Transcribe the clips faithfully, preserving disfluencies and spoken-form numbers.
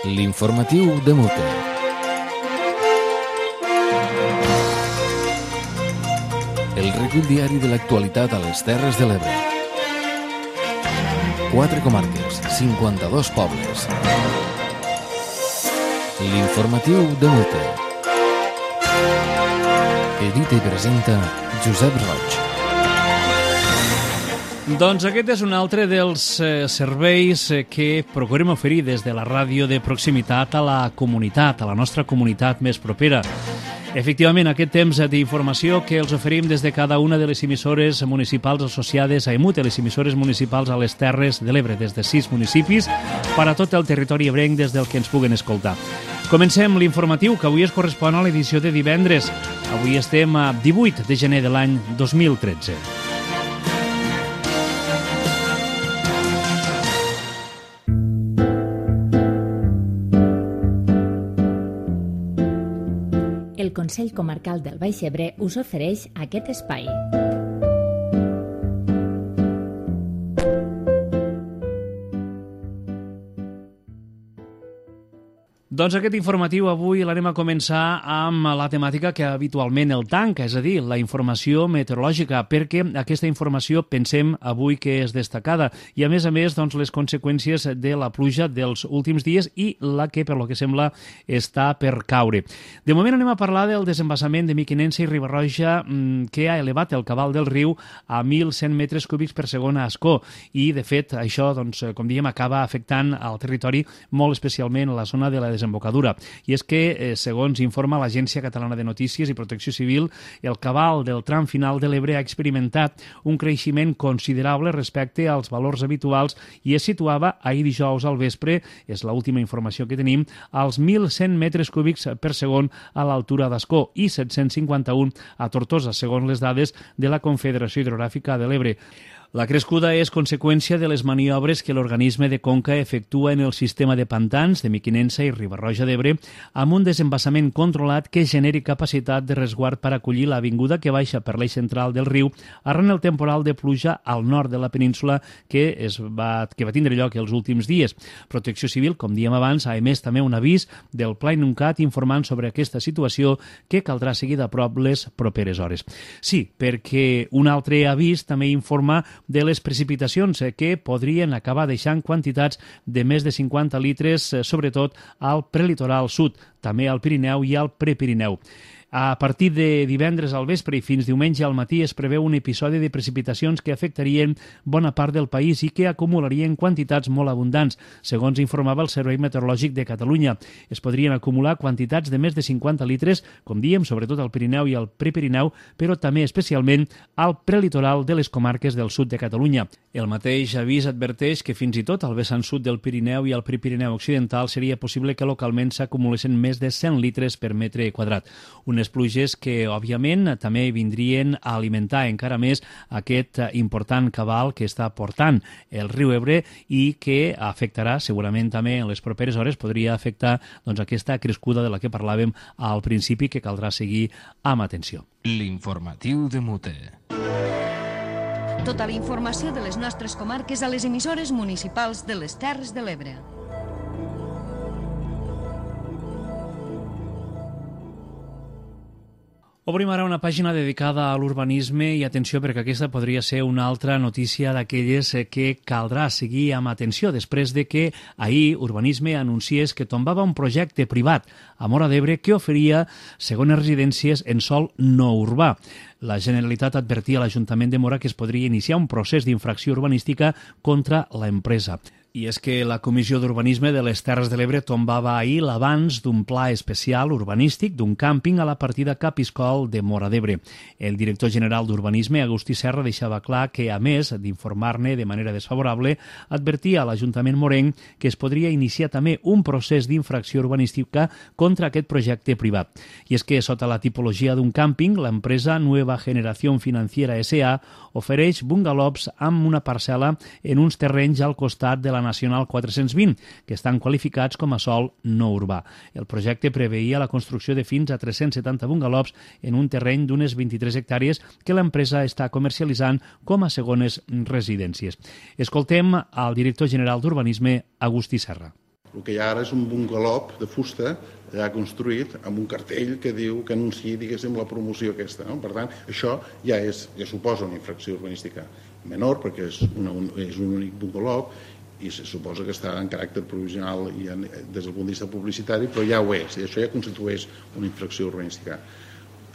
L'informatiu de Mute. El recull diari de l'actualitat a les Terres de l'Ebre. Quatre comarques, cinquanta-dos pobles. L'informatiu de Mute. Edita i presenta Josep Roig. Doncs aquest és un altre dels eh, serveis eh, que procurem oferir des de la ràdio de proximitat a la comunitat, a la nostra comunitat més propera. Efectivament, aquest temps d'informació que els oferim des de cada una de les emissores municipals associades a EMUT, les emissores municipals a les Terres de l'Ebre, des de sis municipis, per a tot el territori ebrenc des del que ens puguen escoltar. Comencem l'informatiu, que avui es correspon a l'edició de divendres. Avui estem a divuit de gener de l'any dos mil tretze. El Consell Comarcal del Baix Ebre us ofereix aquest espai. Doncs aquest informatiu avui l'anem a començar amb la temàtica que habitualment el tanca, és a dir, la informació meteorològica, perquè aquesta informació pensem avui que és destacada i a més a més doncs, les conseqüències de la pluja dels últims dies i la que per lo que sembla està per caure. De moment anem a parlar del desembassament de Mequinensa i Riba-roja que ha elevat el cabal del riu a mil cent metres cúbics per segon a Ascó i de fet això, doncs, com diem, acaba afectant al territori molt especialment a la zona de la desembocadura. I és que, eh, segons informa l'Agència Catalana de Notícies i Protecció Civil, el cabal del tram final de l'Ebre ha experimentat un creixement considerable respecte als valors habituals i es situava ahir dijous al vespre, és l'última informació que tenim, als mil cent metres cúbics per segon a l'altura d'Ascó i set-cents cinquanta-un a Tortosa, segons les dades de la Confederació Hidrogràfica de l'Ebre. La crescuda és conseqüència de les maniobres que l'organisme de conca efectua en el sistema de pantans de Mequinensa i Riba-roja d'Ebre amb un desembassament controlat que generi capacitat de resguard per acollir la vinguda que baixa per l'eix central del riu arran el temporal de pluja al nord de la península que, es va, que va tindre lloc els últims dies. Protecció Civil, com diem abans, ha emès també un avís del Pla Inuncat informant sobre aquesta situació que caldrà seguir de prop les properes hores. Sí, perquè un altre avís també informa de les precipitacions que podrien acabar deixant quantitats de més de cinquanta litres, sobretot al prelitoral sud, també al Pirineu i al Prepirineu. A partir de divendres al vespre i fins diumenge al matí es preveu un episodi de precipitacions que afectarien bona part del país i que acumularien quantitats molt abundants, segons informava el Servei Meteorològic de Catalunya. Es podrien acumular quantitats de més de cinquanta litres, com diem, sobretot al Pirineu i al Prepirineu, però també especialment al prelitoral de les comarques del sud de Catalunya. El mateix avís adverteix que fins i tot al vessant sud del Pirineu i al Prepirineu occidental seria possible que localment s'acumulessin més de cent litres per metre quadrat. Unes pluges que, òbviament, també vindrien a alimentar encara més aquest important cabal que està portant el riu Ebre i que afectarà, segurament també en les properes hores, podria afectar doncs, aquesta crescuda de la que parlàvem al principi que caldrà seguir amb atenció. L'informatiu de Mute. Tota la informació de les nostres comarques a les emissores municipals de les Terres de l'Ebre. Obrim ara una pàgina dedicada a l'urbanisme i atenció perquè aquesta podria ser una altra notícia d'aquelles que caldrà seguir amb atenció després de que ahir Urbanisme anunciés que tombava un projecte privat a Móra d'Ebre que oferia segones residències en sòl no urbà. La Generalitat advertia a l'Ajuntament de Móra que es podria iniciar un procés d'infracció urbanística contra l'empresa. I és que la Comissió d'Urbanisme de les Terres de l'Ebre tombava ahir l'avanç d'un pla especial urbanístic d'un càmping a la partida Capiscol de Móra d'Ebre. El director general d'Urbanisme, Agustí Serra, deixava clar que, a més d'informar-ne de manera desfavorable, advertia a l'Ajuntament morenc que es podria iniciar també un procés d'infracció urbanística contra aquest projecte privat. I és que, sota la tipologia d'un càmping, l'empresa Nueva Generación Financiera S A ofereix bungalows amb una parcel·la en uns terrenys al costat de la Nacional quatre-cents vint, que estan qualificats com a sòl no urbà. El projecte preveia la construcció de fins a tres-cents setanta bungalows en un terreny d'unes vint-i-tres hectàrees que l'empresa està comercialitzant com a segones residències. Escoltem al director general d'Urbanisme, Agustí Serra. El que hi ha ara és un bungalop de fusta ja construït amb un cartell que diu que anuncia, diguéssim, la promoció aquesta. No? Per tant, això ja, és, ja suposa una infracció urbanística menor, perquè és, una, un, és un únic bungalop i se suposa que està en caràcter provisional i en, des del punt de vista publicitari, però ja ho és, i això ja constitueix una infracció urbanística.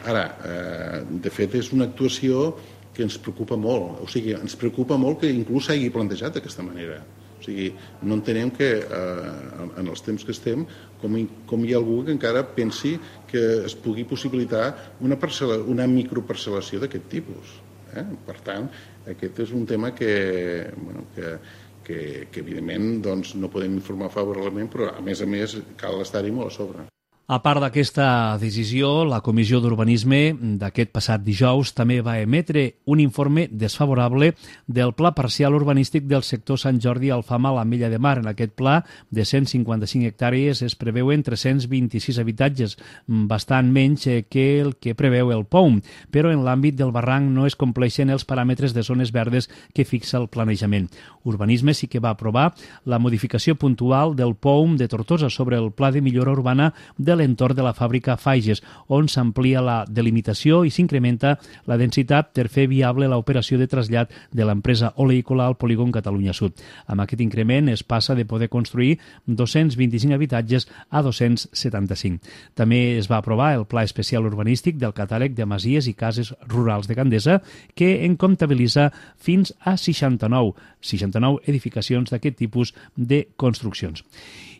Ara, eh, de fet, és una actuació que ens preocupa molt, o sigui, ens preocupa molt que inclús s'hagi plantejat d'aquesta manera. O sigui, no entenem que eh, en els temps que estem com hi, com hi ha algú que encara pensi que es pugui possibilitar una, parcel·la, una microparcel·lació d'aquest tipus. Eh? Per tant, aquest és un tema que, bueno, que, que, que evidentment doncs, no podem informar favorablement, però a més a més cal estar-hi molt a sobre. A part d'aquesta decisió, la Comissió d'Urbanisme d'aquest passat dijous també va emetre un informe desfavorable del Pla Parcial Urbanístic del sector Sant Jordi Alfama a l'Ametlla de Mar. En aquest pla de cent cinquanta-cinc hectàrees es preveuen tres-cents vint-i-sis habitatges, bastant menys que el que preveu el P O U M, però en l'àmbit del barranc no es compleixen els paràmetres de zones verdes que fixa el planejament. Urbanisme sí que va aprovar la modificació puntual del P O U M de Tortosa sobre el Pla de Millora Urbana de l'entorn de la fàbrica Faiges, on s'amplia la delimitació i s'incrementa la densitat per fer viable l'operació de trasllat de l'empresa oleícola al polígon Catalunya Sud. Amb aquest increment es passa de poder construir dos-cents vint-i-cinc habitatges a dos-cents setanta-cinc. També es va aprovar el Pla Especial Urbanístic del catàleg de masies i cases rurals de Gandesa, que en comptabilitza fins a seixanta-nou, seixanta-nou edificacions d'aquest tipus de construccions.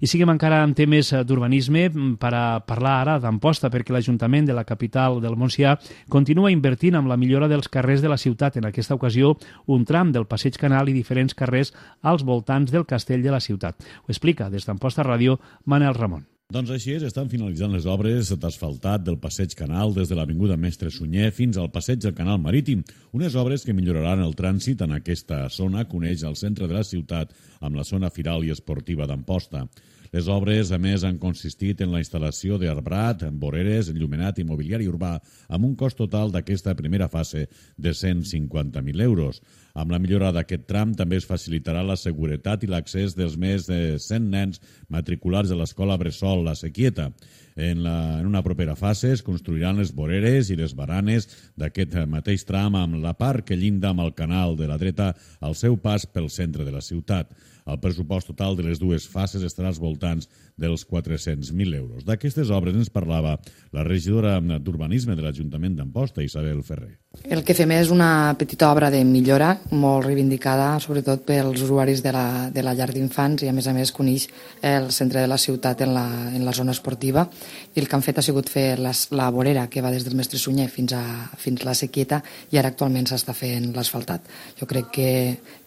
I siguem encara en temes d'urbanisme per a parlar ara d'Amposta, perquè l'Ajuntament de la capital del Montsià continua invertint en la millora dels carrers de la ciutat. En aquesta ocasió, un tram del Passeig Canal i diferents carrers als voltants del castell de la ciutat. Ho explica des d'Amposta Ràdio Manel Ramon. Doncs així és, estan finalitzant les obres d'asfaltat del Passeig Canal des de l'Avinguda Mestre Sunyer fins al Passeig del Canal Marítim, unes obres que milloraran el trànsit en aquesta zona que uneix el centre de la ciutat amb la zona firal i esportiva d'Amposta. Les obres, a més, han consistit en la instal·lació d'arbrat, voreres, enllumenat i mobiliari urbà, amb un cost total d'aquesta primera fase de cent cinquanta mil euros. Amb la millora d'aquest tram també es facilitarà la seguretat i l'accés dels més de cent nens matriculats de l'escola Bressol La Sequieta. En, la, en una propera fase es construiran les voreres i les baranes d'aquest mateix tram amb la part que llinda amb el canal de la dreta al seu pas pel centre de la ciutat. El pressupost total de les dues fases estarà als voltants dels quatre-cents mil euros. D'aquestes obres ens parlava la regidora d'Urbanisme de l'Ajuntament d'Amposta, Isabel Ferrer. El que fem és una petita obra de millora, molt reivindicada, sobretot pels usuaris de la, de la llar d'infants i, a més a més, coneix el centre de la ciutat en la, en la zona esportiva. I el que han fet ha sigut fer la, la vorera que va des del Mestre Sunyer fins a, fins a la Sequieta i ara actualment s'està fent l'asfaltat. Jo crec que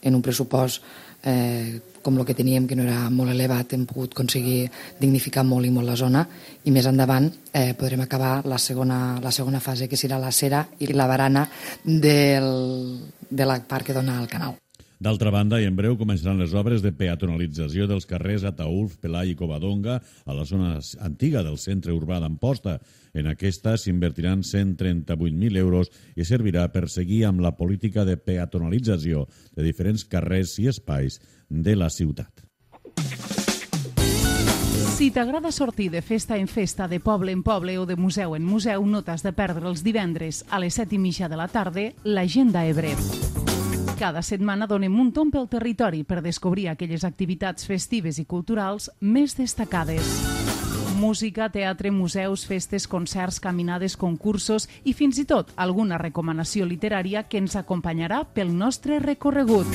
en un pressupost eh, com el que teníem, que no era molt elevat, hem pogut aconseguir dignificar molt i molt la zona i més endavant eh, podrem acabar la segona, la segona fase, que serà la cera i la barana del, de la part que dona al canal. D'altra banda, i en breu començaran les obres de peatonalització dels carrers Ataülf, Pelai i Covadonga a la zona antiga del centre urbà d'Amposta. En aquesta s'invertiran cent trenta-vuit mil euros i servirà per seguir amb la política de peatonalització de diferents carrers i espais de la ciutat. Si t'agrada sortir de festa en festa, de poble en poble o de museu en museu, no t'has de perdre els divendres a les set i mitja de la tarda l'Agenda Ebre. Cada setmana donem un tomb pel territori per descobrir aquelles activitats festives i culturals més destacades. Música, teatre, museus, festes, concerts, caminades, concursos i fins i tot alguna recomanació literària que ens acompanyarà pel nostre recorregut.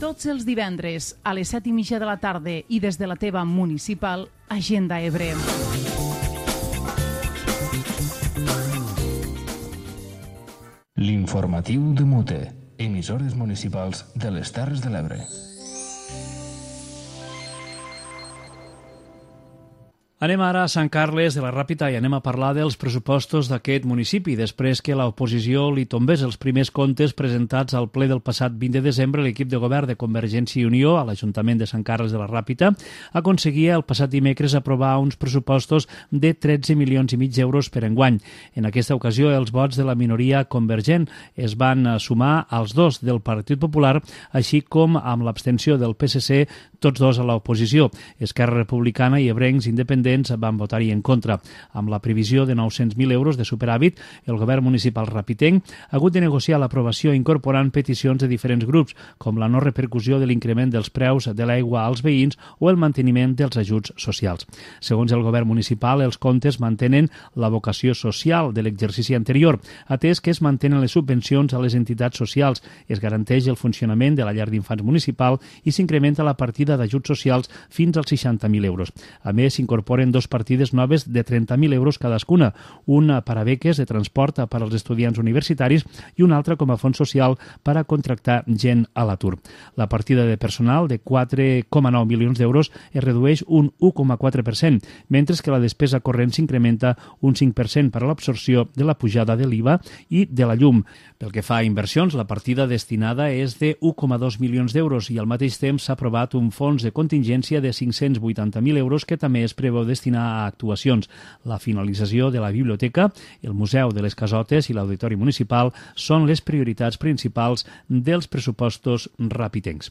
Tots els divendres a les set i mitja de la tarda i des de la teva municipal Agenda Ebre. L'informatiu de Mute. Emissores municipals de les Terres de l'Ebre. Anem ara a Sant Carles de la Ràpita i anem a parlar dels pressupostos d'aquest municipi. Després que l'oposició li tombés els primers comptes presentats al ple del passat vint de desembre, l'equip de govern de Convergència i Unió a l'Ajuntament de Sant Carles de la Ràpita aconseguia el passat dimecres aprovar uns pressupostos de tretze milions i mig d'euros per enguany. En aquesta ocasió, els vots de la minoria convergent es van sumar als dos del Partit Popular, així com amb l'abstenció del P S C tots dos a l'oposició. Esquerra Republicana i Ebrencs Independents van votar-hi en contra. Amb la previsió de nou-cents mil euros de superàvit, el govern municipal rapitenc ha hagut de negociar l'aprovació incorporant peticions de diferents grups, com la no repercussió de l'increment dels preus de l'aigua als veïns o el manteniment dels ajuts socials. Segons el govern municipal, els comptes mantenen la vocació social de l'exercici anterior, atès que es mantenen les subvencions a les entitats socials, es garanteix el funcionament de la llar d'infants municipal i s'incrementa la partida d'ajuts socials fins als seixanta mil euros. A més, s'incorporen dos partides noves de trenta mil euros cadascuna, una per a beques de transport per als estudiants universitaris i una altra com a fons social per a contractar gent a l'atur. La partida de personal de quatre coma nou milions d'euros es redueix un u coma quatre per cent, mentre que la despesa corrent s'incrementa un cinc per cent per a l'absorció de la pujada de l'I V A i de la llum. Pel que fa a inversions, la partida destinada és de u coma dos milions d'euros i al mateix temps s'ha aprovat un fons de contingència de cinc-cents vuitanta mil euros que també es preveu destinar a actuacions. La finalització de la biblioteca, el Museu de les Casotes i l'Auditori Municipal són les prioritats principals dels pressupostos rapitencs.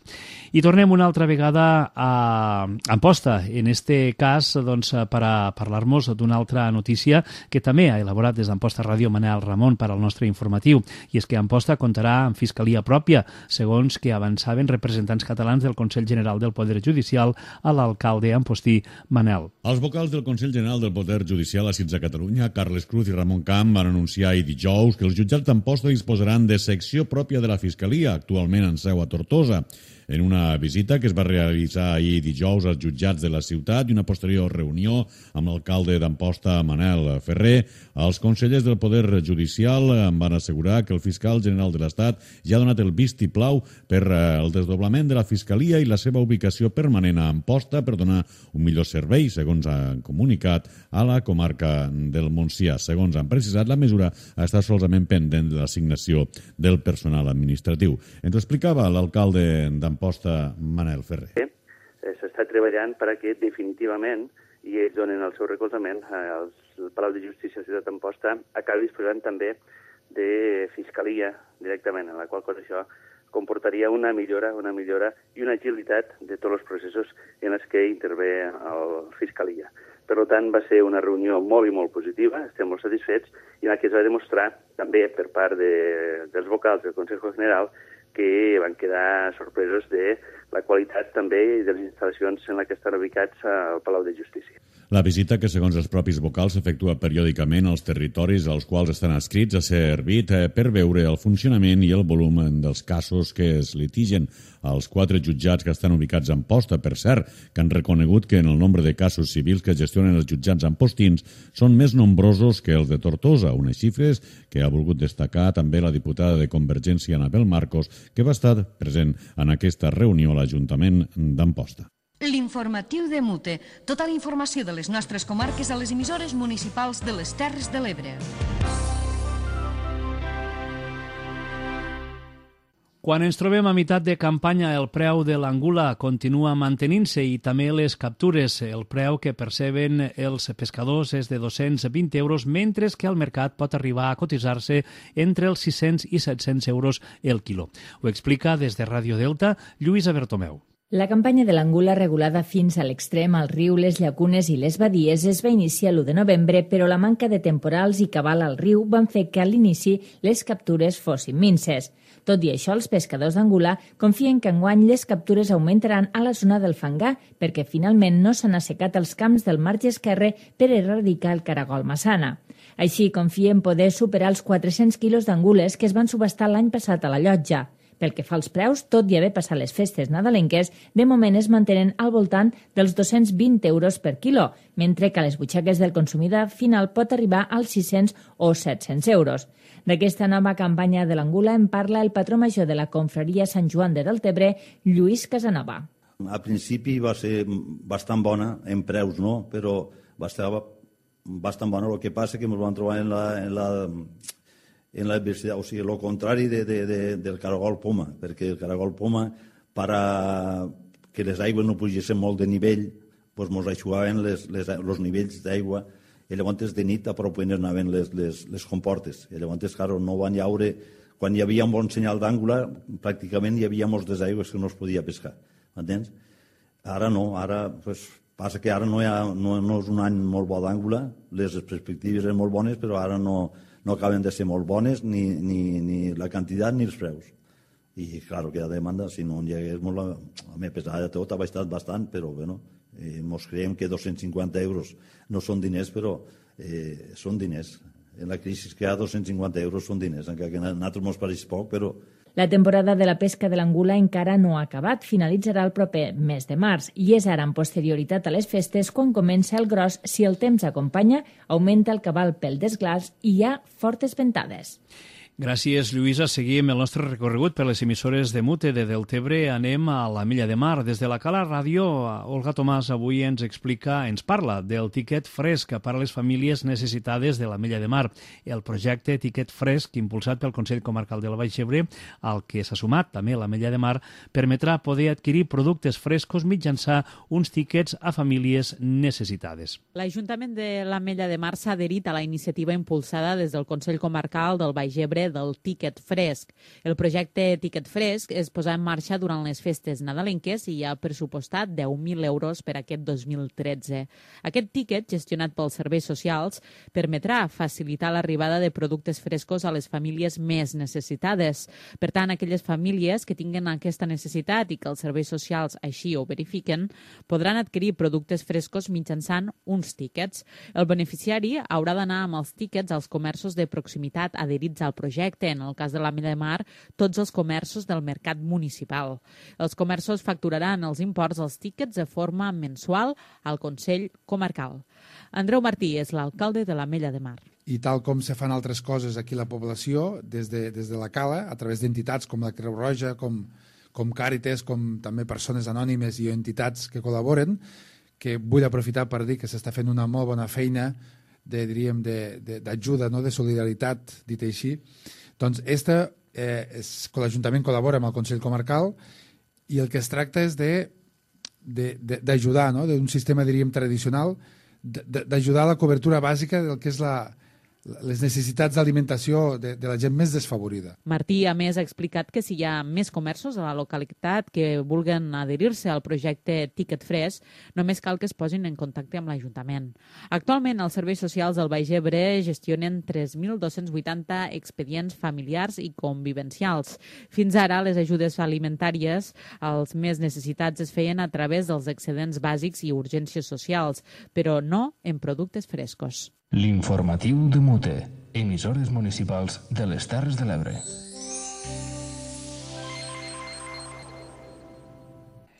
I tornem una altra vegada a Amposta, en este cas doncs, per a parlar-nos d'una altra notícia que també ha elaborat des d'Amposta Ràdio Manel Ramon per al nostre informatiu, i és que Amposta comptarà amb fiscalia pròpia, segons que avançaven representants catalans del Consell General del Poder Judicial a l'alcalde ampostí Manel. Els vocals del Consell General del Poder Judicial assits a Catalunya, Carles Cruz i Ramon Camp, van anunciar ahir dijous que els jutjats d'Amposta disposaran de secció pròpia de la Fiscalia, actualment en seu a Tortosa. En una visita que es va realitzar ahir dijous als jutjats de la ciutat i una posterior reunió amb l'alcalde d'Amposta, Manel Ferrer, els consellers del Poder Judicial en van assegurar que el fiscal general de l'Estat ja ha donat el vistiplau per el desdoblament de la Fiscalia i la seva ubicació permanent a Amposta per donar un millor servei, segons han comunicat a la comarca del Montsià. Segons han precisat, la mesura està solament pendent de l'assignació del personal administratiu. Ens ho explicava l'alcalde d'Amposta, Amposta, Manel Ferrer. S'està treballant perquè definitivament, i ells donen el seu recolzament, el Palau de Justícia de la ciutat d'Amposta acabi disposant també de fiscalia directament, en la qual cosa això comportaria una millora, una millora i una agilitat de tots els processos en els que intervé la fiscalia. Per tant, va ser una reunió molt i molt positiva, estem molt satisfets, i en la que es va demostrar també per part de, dels vocals del Consejo General que van quedar sorpresos de la qualitat també de les instal·lacions en la que estan ubicats al Palau de Justícia. La visita, que segons els propis vocals s'efectua periòdicament als territoris als quals estan adscrits, ha servit per veure el funcionament i el volum dels casos que es litigen. Els quatre jutjats que estan ubicats a Amposta, per cert, que han reconegut que en el nombre de casos civils que gestionen els jutjats ampostins són més nombrosos que els de Tortosa, unes xifres que ha volgut destacar també la diputada de Convergència, Anabel Marcos, que va estar present en aquesta reunió a l'Ajuntament d'Amposta. L'informatiu de Mute. Tota la informació de les nostres comarques a les emissores municipals de les Terres de l'Ebre. Quan ens trobem a meitat de campanya, el preu de l'angula continua mantenint-se i també les captures. El preu que perceben els pescadors és de dos-cents vint euros, mentre que al mercat pot arribar a cotitzar-se entre els sis-cents i set-cents euros el quilo. Ho explica des de Ràdio Delta Lluïsa Bertomeu. La campanya de l'angula regulada fins a l'extrem al riu, les llacunes i les badies es va iniciar l'u de novembre, però la manca de temporals i cabal al riu van fer que a l'inici les captures fossin minces. Tot i això, els pescadors d'angula confien que enguany les captures augmentaran a la zona del Fangar, perquè finalment no s'han assecat els camps del marge esquerre per erradicar el caragol massana. Així, confien poder superar els quatre-cents quilos d'angules que es van subhastar l'any passat a la llotja. Pel que fa als preus, tot i haver passat les festes nadalenques, de moment es mantenen al voltant dels dos-cents vint euros per quilo, mentre que a les butxaques del consumidor final pot arribar als sis-cents o set-cents euros. D'aquesta nova campanya de l'angula en parla el patró major de la confraria Sant Joan de Deltebre, Lluís Casanova. A principi va ser bastant bona, en preus no, però va estar bastant bona. El que passa que ens vam trobar en la... En la en l'adversitat, o sigui, el contrari de, de, de, del caragol poma, perquè el caragol poma, per a que les aigües no pugessin molt de nivell, doncs ens aixugaven les, les, els nivells d'aigua, i llavors de nit a prop anaven les, les, les comportes, i llavors, claro, no van llaure, quan hi havia un bon senyal d'àngula, pràcticament hi havia moltes aigües que no es podia pescar, entens? Ara no, ara pues, passa que ara no, hi ha, no, no és un any molt bo d'Àngula, les perspectives eren molt bones, però ara no, no acaben de ser molt bones ni, ni, ni la quantitat ni els preus. I, clar, que hi ha demanda, si no hi hagués molt... A mi, pesar de tot, ha baixat bastant, però, bueno, eh, mos creiem que dos-cents cinquanta euros no són diners, però eh, són diners. En la crisi que hi ha dos-cents cinquanta euros són diners, encara que a nosaltres mos pareix poc, però... La temporada de la pesca de l'angula encara no ha acabat, finalitzarà el proper mes de març i és ara en posterioritat a les festes quan comença el gros. Si el temps acompanya, augmenta el cabal pel desglaç i hi ha fortes ventades. Gràcies, Lluïsa. Seguim el nostre recorregut per les emissores de Mute de Deltebre. Anem a la Milla de Mar. Des de la Cala Ràdio, Olga Tomàs avui ens explica, ens parla del tiquet fresc per a les famílies necessitades de la Milla de Mar. El projecte Tiquet Fresc, impulsat pel Consell Comarcal del Baix Ebre, al que s'ha sumat també la Milla de Mar, permetrà poder adquirir productes frescos mitjançant uns tiquets a famílies necessitades. L'Ajuntament de la Mella de Mar s'ha adherit a la iniciativa impulsada des del Consell Comarcal del Baix Ebre del Tiquet Fresc. El projecte Tiquet Fresc es posà en marxa durant les festes nadalenques i ha pressupostat deu mil euros per aquest dos mil tretze. Aquest tiquet, gestionat pels serveis socials, permetrà facilitar l'arribada de productes frescos a les famílies més necessitades. Per tant, aquelles famílies que tinguen aquesta necessitat i que els serveis socials així ho verifiquen, podran adquirir productes frescos mitjançant uns tiquets. El beneficiari haurà d'anar amb els tiquets als comerços de proximitat adherits al projecte. En el cas de la Milla de Mar, tots els comerços del mercat municipal. Els comerços facturaran els imports dels tíquets de forma mensual al Consell Comarcal. Andreu Martí és l'alcalde de la Milla de Mar. I tal com se fan altres coses aquí a la població, des de, des de la Cala, a través d'entitats com la Creu Roja, com, com Càritas, com també persones anònimes i entitats que col·laboren, que vull aprofitar per dir que s'està fent una molt bona feina de, diríem, d'ajuda, no? De solidaritat, dit així. Doncs esta, eh, és, l'Ajuntament col·labora amb el Consell Comarcal i el que es tracta és d'ajudar, no? D'un sistema, diríem, tradicional, d'ajudar a la cobertura bàsica del que és la, les necessitats d'alimentació de, de la gent més desfavorida. Martí, a més, ha explicat que si hi ha més comerços a la localitat que vulguen adherir-se al projecte Tiquet Fresc, només cal que es posin en contacte amb l'Ajuntament. Actualment, els serveis socials del Baix Ebre gestionen tres mil dos-cents vuitanta expedients familiars i convivencials. Fins ara, les ajudes alimentàries als més necessitats es feien a través dels excedents bàsics i urgències socials, però no en productes frescos. L'informatiu de Mute, emissores municipals de les Terres de l'Ebre.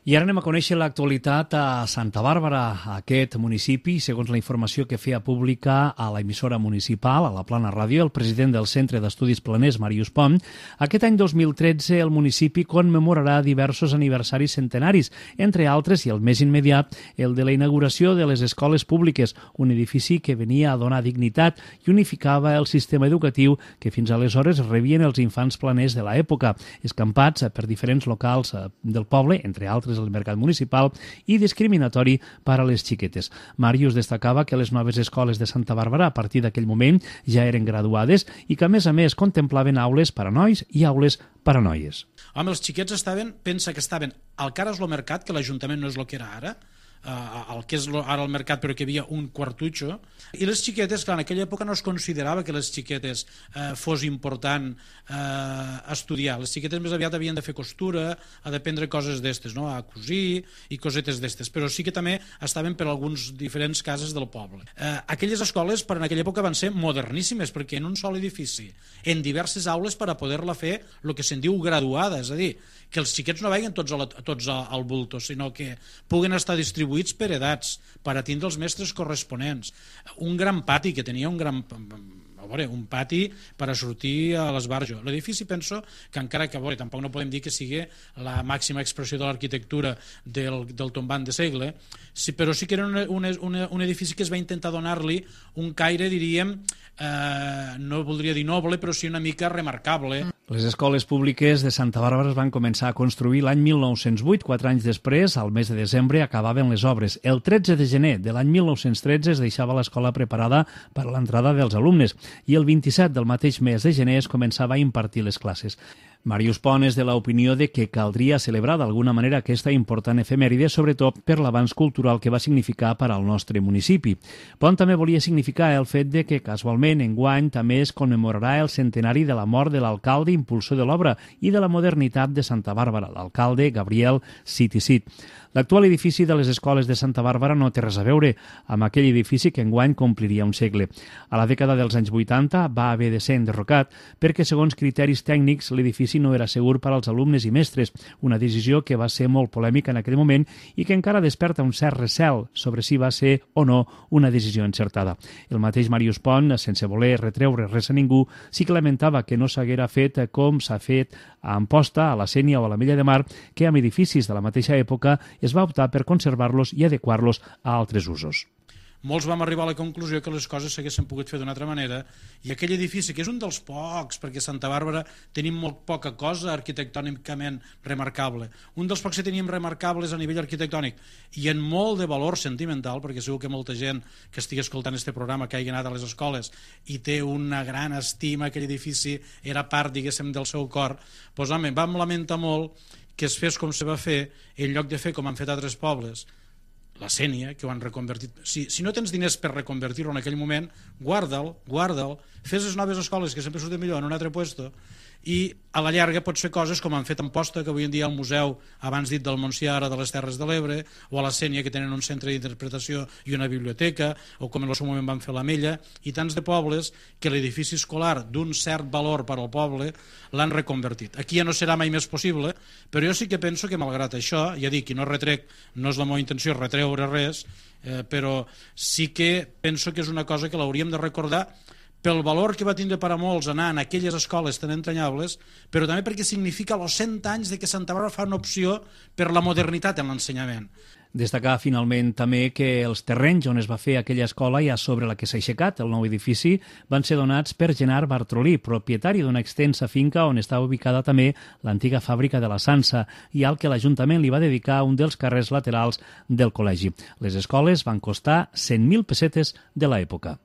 I ara anem a conèixer l'actualitat a Santa Bàrbara, aquest municipi, segons la informació que feia pública a la emissora municipal, a la Plana Ràdio, el president del Centre d'Estudis Planers, Màrius Pont. Aquest any dos mil tretze el municipi commemorarà diversos aniversaris centenaris, entre altres, i el més immediat, el de la inauguració de les escoles públiques, un edifici que venia a donar dignitat i unificava el sistema educatiu que fins aleshores rebien els infants planers de l'època, escampats per diferents locals del poble, entre altres el mercat municipal, i discriminatori per a les xiquetes. Màrius destacava que les noves escoles de Santa Bàrbara a partir d'aquell moment ja eren graduades i que a més a més contemplaven aules per a nois i aules per a noies. Home, els xiquets estaven, pensa que estaven al cares lo mercat, que l'Ajuntament no és el que era ara, el que és ara el mercat, però que hi havia un quartutxo, i les xiquetes, clar, en aquella època no es considerava que les xiquetes eh, fos important eh, estudiar. Les xiquetes més aviat havien de fer costura, a d'aprendre coses d'estes, no? A cosir i cosetes d'estes, però sí que també estaven per alguns diferents cases del poble. Eh, aquelles escoles per en aquella època van ser moderníssimes, perquè en un sol edifici, en diverses aules per a poder-la fer el que se'n diu graduada, és a dir, que els xiquets no vagin tots, a la, tots al bulto, sinó que puguen estar distribuïts per edats, per a tindre els mestres corresponents. Un gran pati, que tenia un gran... A veure, un pati per a sortir a l'esbarjo. L'edifici, penso, que encara que, a veure, tampoc no podem dir que sigui la màxima expressió de l'arquitectura del, del tombant de segle, sí, però sí que era un, un, un edifici que es va intentar donar-li un caire, diríem, eh, no voldria dir noble, però sí una mica remarcable. Les escoles públiques de Santa Bàrbara es van començar a construir l'any mil nou-cents vuit, quatre anys després, al mes de desembre, acabaven les obres. El tretze de gener de l'any mil nou-cents tretze es deixava l'escola preparada per a l'entrada dels alumnes i el vint-i-set del mateix mes de gener es començava a impartir les classes. Màrius Pont és de l'opinió de que caldria celebrar d'alguna manera aquesta important efemèride, sobretot per l'avanç cultural que va significar per al nostre municipi. Pont també volia significar el fet de que casualment enguany també es commemorarà el centenari de la mort de l'alcalde impulsor de l'obra i de la modernitat de Santa Bàrbara, l'alcalde Gabriel Cid i Cid. L'actual edifici de les escoles de Santa Bàrbara no té res a veure amb aquell edifici que enguany compliria un segle. A la dècada dels anys vuitanta va haver de ser enderrocat perquè, segons criteris tècnics, l'edifici no era segur per als alumnes i mestres, una decisió que va ser molt polèmica en aquell moment i que encara desperta un cert recel sobre si va ser o no una decisió encertada. El mateix Màrius Pont, sense voler retreure res a ningú, sí que lamentava que no s'haguera fet com s'ha fet a Amposta, a la Sénia o a la Mella de Mar, que amb edificis de la mateixa època es va optar per conservar-los i adequar-los a altres usos. Molts vam arribar a la conclusió que les coses s'haguessin pogut fer d'una altra manera i aquell edifici, que és un dels pocs, perquè a Santa Bàrbara tenim molt poca cosa arquitectònicament remarcable, un dels pocs que teníem remarcables a nivell arquitectònic i en molt de valor sentimental, perquè segur que molta gent que estigui escoltant este programa que hagi anat a les escoles i té una gran estima, aquell edifici era part, diguéssim, del seu cor, doncs home, vam lamentar molt que es fes com se va fer en lloc de fer com han fet altres pobles, la Sénia, que ho han reconvertit. Si, si no tens diners per reconvertir-ho en aquell moment, guarda'l, guarda'l, fes les noves escoles que sempre surten millor en un altre puesto i a la llarga pots fer coses com han fet a Amposta, que avui en dia hi ha un museu abans dit del Montsià, ara de les Terres de l'Ebre, o a la Sénia, que tenen un centre d'interpretació i una biblioteca, o com en el seu moment van fer la Mella, i tants de pobles que l'edifici escolar d'un cert valor per al poble l'han reconvertit. Aquí ja no serà mai més possible, però jo sí que penso que malgrat això, ja dic, i no retrec, no és la meva intenció retreure res, eh, però sí que penso que és una cosa que l'hauríem de recordar pel valor que va tindre per a molts anar en aquelles escoles tan entranyables, però també perquè significa els cent anys de que Santa Bàrbara fa una opció per la modernitat en l'ensenyament. Destacar finalment també que els terrenys on es va fer aquella escola i a sobre la que s'ha aixecat el nou edifici van ser donats per Gerard Bartrolí, propietari d'una extensa finca on estava ubicada també l'antiga fàbrica de la Sansa i al que l'Ajuntament li va dedicar un dels carrers laterals del col·legi. Les escoles van costar cent mil pessetes de l'època.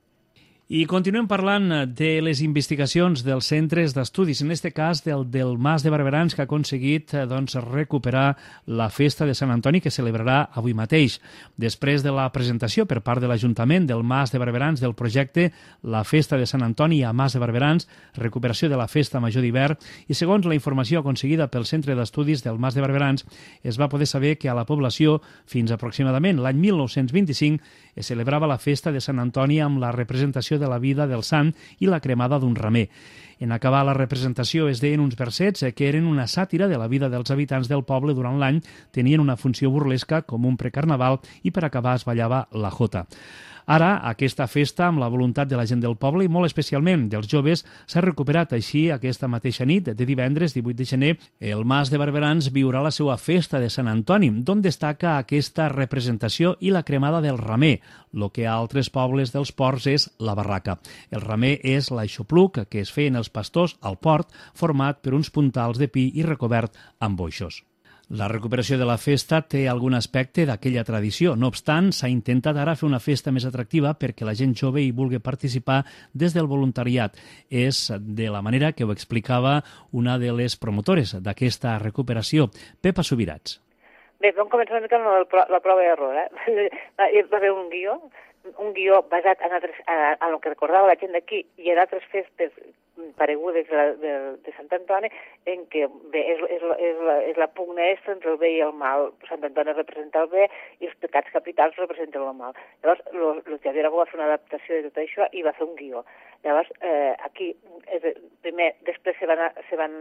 I continuem parlant de les investigacions dels centres d'estudis, en aquest cas del, del Mas de Barberans, que ha aconseguit doncs, recuperar la festa de Sant Antoni que celebrarà avui mateix. Després de la presentació per part de l'Ajuntament del Mas de Barberans del projecte La Festa de Sant Antoni a Mas de Barberans, recuperació de la festa major d'hivern, i segons la informació aconseguida pel Centre d'Estudis del Mas de Barberans, es va poder saber que a la població, fins aproximadament l'any mil nou-cents vint-i-cinc, es celebrava la festa de Sant Antoni amb la representació de la vida del sant i la cremada d'un ramer. En acabar la representació es deien uns versets que eren una sàtira de la vida dels habitants del poble durant l'any, tenien una funció burlesca com un precarnaval i per acabar es ballava la jota. Ara, aquesta festa, amb la voluntat de la gent del poble i molt especialment dels joves, s'ha recuperat. Així, aquesta mateixa nit de divendres, divuit de gener, el Mas de Barberans viurà la seva festa de Sant Antoni, d'on destaca aquesta representació i la cremada del ramer, el que a altres pobles dels ports és la barraca. El ramer és l'aixopluc que es feien els pastors al port, format per uns puntals de pi i recobert amb boixos. La recuperació de la festa té algun aspecte d'aquella tradició. No obstant, s'ha intentat ara fer una festa més atractiva perquè la gent jove hi vulgui participar des del voluntariat. És de la manera que ho explicava una de les promotores d'aquesta recuperació, Pepa Subirats. Bé, vam començar una mica amb la prova d'error. Eh? Hi va haver un guió, un guió basat en, altres, en el que recordava la gent d'aquí i en altres festes paregudes de, de, de Sant Antoni, en què bé, és, és, és, la, és la pugna extra entre el bé i el mal. Sant Antoni representa el bé i els pecats capitals representen el mal. Llavors, el Teatre Aragó va fer una adaptació de tot això i va fer un guió. Llavors, eh, aquí, és, primer, després se van, se van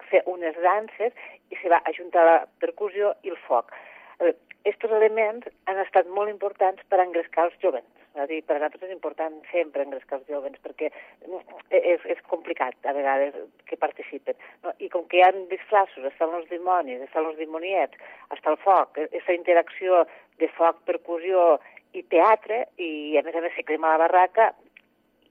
fer unes danses i se va ajuntar la percussió i el foc. Aquests elements han estat molt importants per engrescar els jovens. És a dir, per a nosaltres és important sempre engrescar els jovens perquè és, és complicat a vegades que participen. No? I com que hi ha disfraços, estan els dimonis, estan els dimoniets, està el foc, aquesta interacció de foc, percussió i teatre, i a més a més se crema la barraca,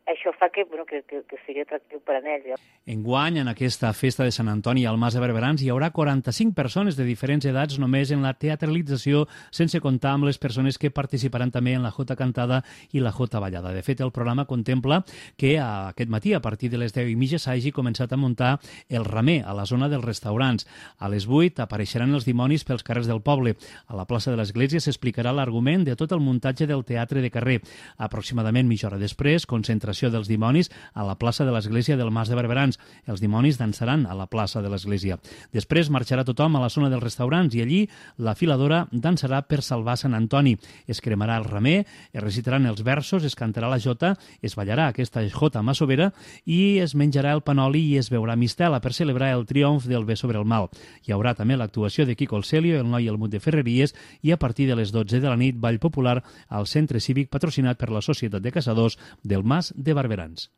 això fa que, bueno, que, que, que sigui atractiu per a ells. Ja. Enguany, en aquesta festa de Sant Antoni al Mas de Barberans, hi haurà quaranta-cinc persones de diferents edats només en la teatralització, sense comptar amb les persones que participaran també en la jota cantada i la jota ballada. De fet, el programa contempla que aquest matí, a partir de les deu i mitja, s'hagi començat a muntar el ramer a la zona dels restaurants. A les vuit apareixeran els dimonis pels carrers del poble. A la plaça de l'Església s'explicarà l'argument de tot el muntatge del teatre de carrer. Aproximadament mitja hora després, concentració dels dimonis a la plaça de l'Església del Mas de Barberans. Els dimonis dansaran a la plaça de l'Església. Després marxarà tothom a la zona dels restaurants i allí la filadora dansarà per salvar Sant Antoni. Es cremarà el ramer, es recitaran els versos, es cantarà la jota, es ballarà aquesta jota massovera i es menjarà el panoli i es beurà mistela per celebrar el triomf del bé sobre el mal. Hi haurà també l'actuació de Quico el Celio, el noi Helmut de Ferreries i a partir de les dotze de la nit ball popular al centre cívic patrocinat per la Societat de Caçadors del Mas de Barberans.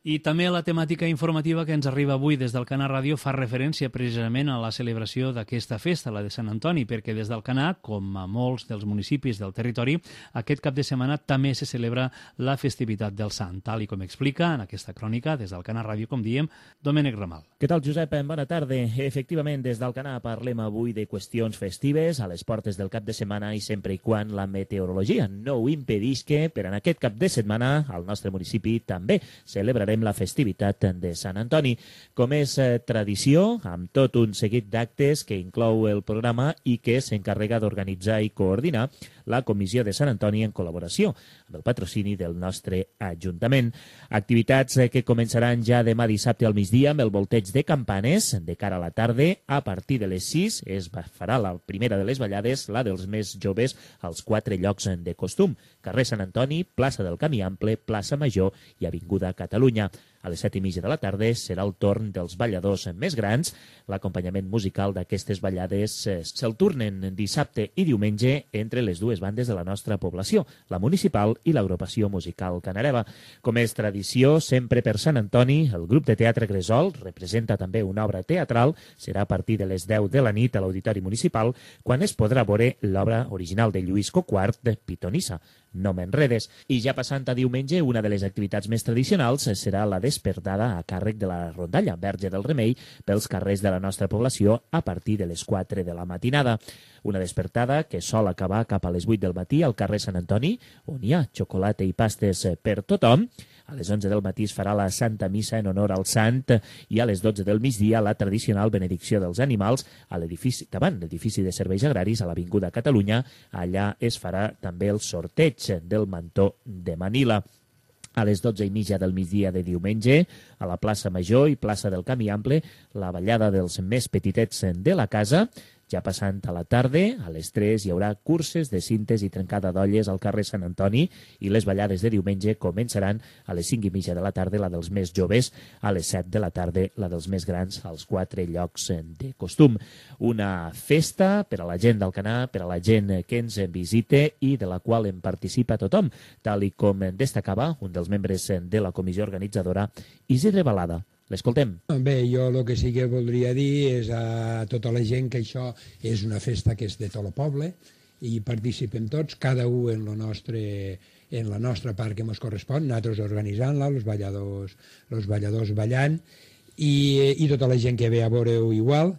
I també la temàtica informativa que ens arriba avui des del Canà Ràdio fa referència precisament a la celebració d'aquesta festa, la de Sant Antoni, perquè des del Canà, com a molts dels municipis del territori, aquest cap de setmana també se celebra la festivitat del Sant, tal i com explica en aquesta crònica des del Canà Ràdio, com diem, Domènec Ramal. Què tal, Josep? Bona tarda. Efectivament, des del Canà parlem avui de qüestions festives a les portes del cap de setmana i sempre i quan la meteorologia no ho impedís que per en aquest cap de setmana al nostre municipi també celebrarem la festivitat de Sant Antoni. Com és eh, tradició, amb tot un seguit d'actes que inclou el programa i que s'encarrega d'organitzar i coordinar la Comissió de Sant Antoni en col·laboració amb el patrocini del nostre Ajuntament. Activitats eh, que començaran ja demà dissabte al migdia amb el volteig de campanes. De cara a la tarda, a partir de les sis, es farà la primera de les ballades, la dels més joves, als quatre llocs de costum. Carrer Sant Antoni, plaça del Camí Ample, plaça Major i Avinguda Catalunya. A les set i mitja de la tarda serà el torn dels balladors més grans. L'acompanyament musical d'aquestes ballades se'l turnen dissabte i diumenge entre les dues bandes de la nostra població, la municipal i l'agrupació musical Canareva. Com és tradició, sempre per Sant Antoni, el grup de teatre Gresol representa també una obra teatral. Serà a partir de les deu de la nit a l'Auditori Municipal, quan es podrà veure l'obra original de Lluís Coquart, de Pitonissa. No m'enredes. I ja passant a diumenge, una de les activitats més tradicionals serà la despertada a càrrec de la rondalla Verge del Remei pels carrers de la nostra població a partir de les quatre de la matinada. Una despertada que sol acabar cap a les vuit del matí al carrer Sant Antoni, on hi ha xocolata i pastes per tothom. A les onze del matí es farà la Santa Missa en honor al Sant i a les dotze del migdia la tradicional benedicció dels animals a l'edifici, davant l'edifici de serveis agraris a l'Avinguda Catalunya. Allà es farà també el sorteig del mantó de Manila. A les dotze i mitja del migdia de diumenge, a la plaça Major i plaça del Camí Ample, la ballada dels més petitets de la casa. Ja passant a la tarda, a les tres hi haurà curses de cintes i trencada d'olles al carrer Sant Antoni i les ballades de diumenge començaran a les cinc i mitja de la tarda, la dels més joves, a les set de la tarda, la dels més grans, als quatre llocs de costum. Una festa per a la gent del Canà, per a la gent que ens visita i de la qual en participa tothom, tal i com destacava un dels membres de la comissió organitzadora, Isidre Balada. L'escoltem. Bé, jo el que sí que voldria dir és a tota la gent que això és una festa que és de tot el poble i participem tots, cada un en, lo nostre, en la nostra part que ens correspon, nosaltres organitzant-la, els balladors, els balladors ballant i, i tota la gent que ve a veure-ho igual.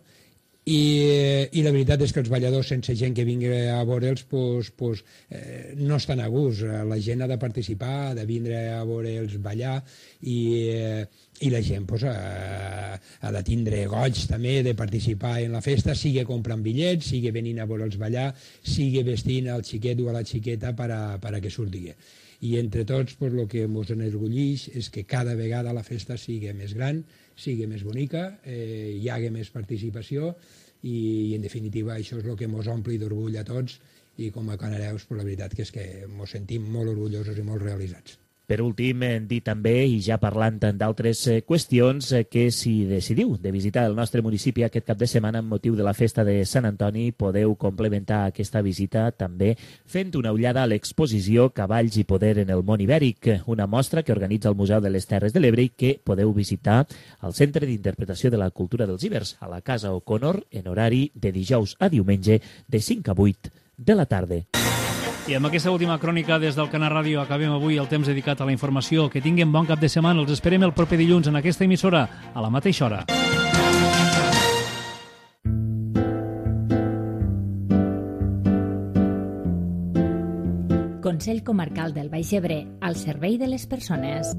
I, i la veritat és que els balladors, sense gent que vingui a veure'ls, pues, pues, eh, no estan a gust. La gent ha de participar, ha de vindre a veure'ls ballar i, eh, i la gent pues, ha, ha de tindre goig també de participar en la festa, sigui comprant bitllets, sigui venint a veure'ls ballar, sigui vestint al xiquet o a la xiqueta per a, per a que surti. I entre tots pues, el que ens enorgulleix és que cada vegada la festa sigui més gran, sigui més bonica, eh, hi hagi més participació i, i en definitiva això és el que ens ompli d'orgull a tots i com a canareus pues, la veritat que és que ens sentim molt orgullosos i molt realitzats. Per últim, dir també, i ja parlant d'altres qüestions, que si decidiu de visitar el nostre municipi aquest cap de setmana amb motiu de la festa de Sant Antoni, podeu complementar aquesta visita també fent una ullada a l'exposició Cavalls i poder en el món ibèric, una mostra que organitza el Museu de les Terres de l'Ebre i que podeu visitar al Centre d'Interpretació de la Cultura dels Ibers, a la Casa O'Connor, en horari de dijous a diumenge de cinc a vuit de la tarda. I amb aquesta última crònica des del Canal Ràdio acabem avui el temps dedicat a la informació. Que tinguin bon cap de setmana. Els esperem el proper dilluns en aquesta emissora, a la mateixa hora. Consell Comarcal del Baix Ebre, al servei de les persones.